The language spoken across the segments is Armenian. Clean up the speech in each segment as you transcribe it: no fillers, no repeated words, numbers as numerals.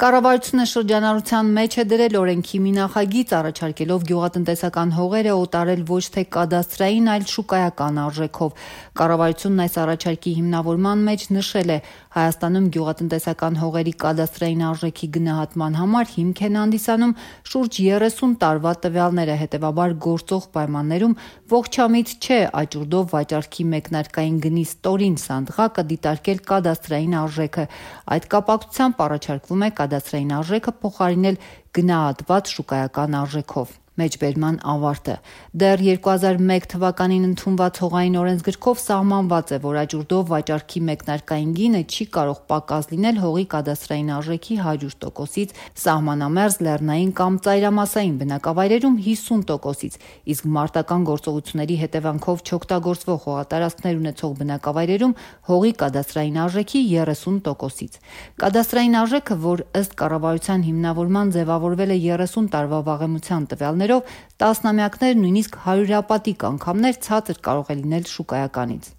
Կառավարությունը շրջանառության մեջ է դրել օրենքի մի նախագիծ, առաջարկելով գյուղատնտեսական հողերը օտարել ոչ թե կադաստրային, այլ շուկայական արժեքով։ Կառավարությունն այս առաջարկի հիմնավորման մեջ նշել է, Հայաստանում գյուղատնտեսական հողերի կադաստրային արժեքի գնահատման համար հիմք են հանդիսանում շուրջ 30 տարվա տվյալները, հետևաբար գործող պայմաններում ողջամիտ չէ աճուրդով վաճառքի մեկնարկային գնի ստորին սանդղակը դիտարկել կադաստրային արժեքը։ Այդ կապակցությամբ առաջարկվում է կադաստրային արժեքը փոխարինել գնահատված շուկայական արժեքով։ Մեջբերման ավարտը։ Դեռ 2001 թվականին ընդունված հողային օրենսգրքով սահմանված է, որ աճուրդով վաճառքի մեկնարկային գինը չի կարող պակաս լինել հողի կադաստրային արժեքի 100%-ից, սահմանամերձ լեռնային կամ ծայրամասային բնակավայրերում 50%-ից, իսկ մարտական գործողությունների հետևանքով չօգտագործվող հողատարածքներ ունեցող բնակավայրերում հողի կադաստրային արժեքի 30%-ից։ Կադաստրային արժեքը, որ ըստ կառավարության հիմնավորման ձևավորվել է 30 տարվա վաղեմության տվյալներով, տասնամյակներ, նույնիսկ հարյուրապատիկ անգամներ ցածր կարող է լինել շուկայականից։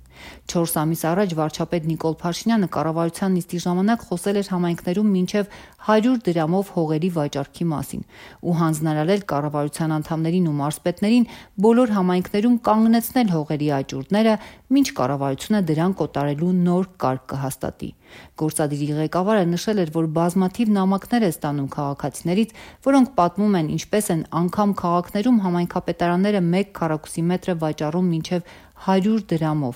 4 ամիս առաջ վարչապետ Նիկոլ Փաշինյանը կառավարության նիստի ժամանակ խոսել էր համայնքներում մինչև 100 դրամով հողերի վաճառքի մասին ու հանձնարարել կառավարության անդամներին ու մարզպետներին բոլոր համայնքներում կանգնեցնել հողերի աճուրդները, մինչ կառավարությունը դրանք օտարելու նոր կարգ կհաստատի։ Գործադիրի ղեկավարը նշել էր, որ բազմաթիվ նամակներ է ստանում քաղաքացիներից, որոնք պատմում են, ինչպես են անգամ քաղաքներում համայնքապետարանները 1 քառակուսի մետր վաճառում մինչև 100 դրամով,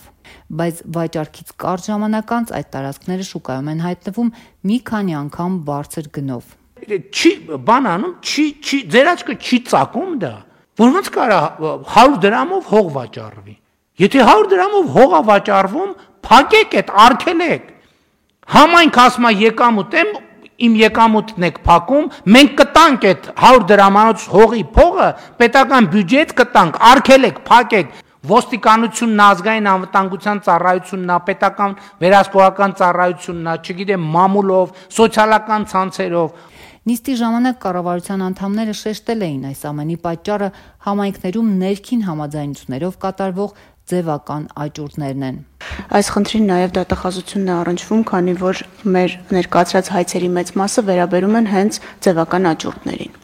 բայց վաճառքից կարճ ժամանակ անց այդ տարածքները շուկայում են հայտնվում մի քանի անգամ բարձր գնով։ Ձեր աչքը չի ծակում դա, որ ոնց կարա 100 դրամով հող վաճառվի։ Եթե 100 դրամով հող է վաճառվում, փակեք այդ, արգելեք։ Համայնք ասում է եկամուտ եմ, իմ եկամուտն եք փակում, մենք կտանք այդ 100 դրամանոց հողի փողը, պետական բյուջեից կտանք, արգելեք, փակեք։ Ոստիկանությունն, ազգային անվտանգության ծառայությունն, պետական վերահսկողական ծառայությունն, չգիտեմ, մամուլով, սոցիալական ցանցերով։ Նիստի ժամանակ կառավարության անդամները շեշտել էին այս ամենի պատճառը համայնքներում ներքին համաձայնություններով կատարվող ձևական աճուրդներն են։ Այս խնդրին նաև դատախազությունն է առնչվում, քանի որ մեր ներկայացրած հայցերի մեծ մասը վերաբերում են հենց ձևական աճուրդներին։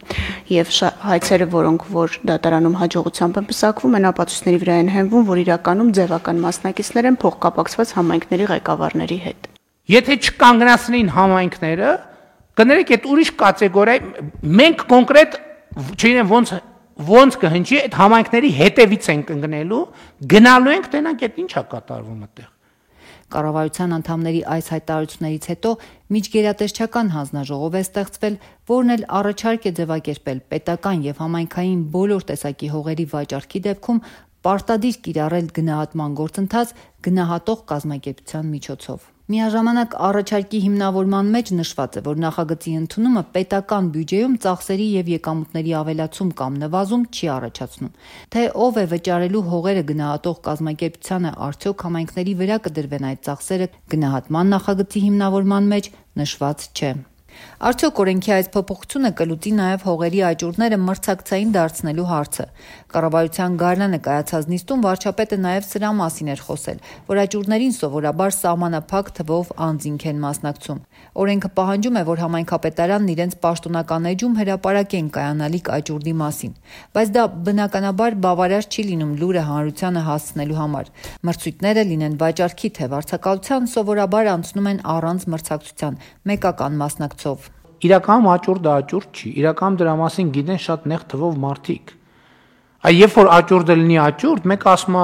Եվ հայցերը, որոնք որ դատարանում հաջողությամբ են պսակվում, են ապացույցների վրա են հենվում, որ իրականում ձևական մասնակիցներ են փոխկապակցված համայնքների ղեկավարների հետ։ Եթե չկանգնացնեին համայնքները, կներեք այդ ուրիշ կատեգորիա, մենք կոնկրետ, չգիտեմ ոնց կհնչի, այդ համայնքների հետևից ենք ընկնելու, գնալու ենք, տենանք այդ ինչ է կատարվում այդտեղ։ Կառավարության անդամների այս հայտարարություններից հետո միջգերատեսչական հանձնաժողով է ստեղծվել, որն էլ առաջարկ է ձևակերպել պետական եւ համայնքային բոլոր տեսակի հողերի վաճառքի դեպքում պարտադիր կիրառել գնահատման գործընթաց գնահատող կազմակերպության միջոցով։ Միաժամանակ առաջարկի հիմնավորման մեջ նշված է, որ նախագծի ընդունումը պետական բյուջեում ծախսերի եւ եկամուտների ավելացում կամ նվազում չի առաջացնում։ Թե ով է վճարելու հողերը գնահատող կազմակերպությանը, արդյոք համայնքների վրա կդրվեն այդ ծախսերը, գնահատման նախագծի հիմնավորման մեջ նշված չէ։ Արդյոք օրենքի այս փոփոխությունը կլուծի նաև հողերի աճուրդները մրցակցային դարձնելու հարցը։ Կառավարության գարնանը կայացած նիստում վարչապետը նաև սրա մասին էր խոսել, որ աճուրդներին սովորաբար սահմանափակ թվով անձինք են մասնակցում։ Օրենքը պահանջում է, որ համայնքապետարանն իրենց պաշտոնական էջում հրապարակեն կայանալիք աճուրդի մասին, բայց դա բնականաբար բավարար չի լինում լուրը հանրությանը հասցնելու համար։ Մրցույթները լինեն վաճառքի թե վարձակալության, սովորաբար անցնում են առանց մրցակցության, մեկական մասնակցով։ Իրականում աճուրդը աճուրդ չի, իրականում դրա մասին գիտեն շատ նեղ թվով մարդիկ։ Երբ որ աճուրդը լինի աճուրդ, մեկ ասում է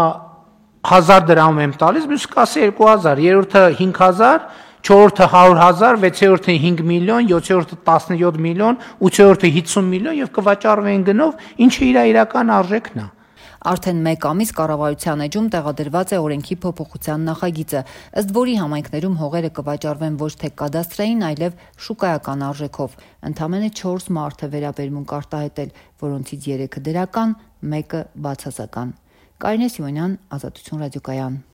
1000 դրամ եմ տալիս, մյուսը կասի 2000, երրորդը 5000, չորրորդը 100,000, վեցերորդը 5 միլիոն, 7-րդը 17 միլիոն, 8-րդը 50 միլիոն եւ կվաճառվեն գնով, ինչը իր իրական արժեքն է։ Արդեն մեկ ամիս կառավարության էջում տեղադրված է օրենքի փոփոխության նախագիծը, ըստ որի համայնքներում հողերը կվաճառվեն ոչ թե կադաստրային, այլև շուկայական արժեքով։ Ընդամենը 4 մարդ է վերաբերմունք արտահայտել, որոնցից 3-ը դրական, 1-ը բացասական։ Կարինե Սիմոնյան, Ազատություն ռադիոկայան։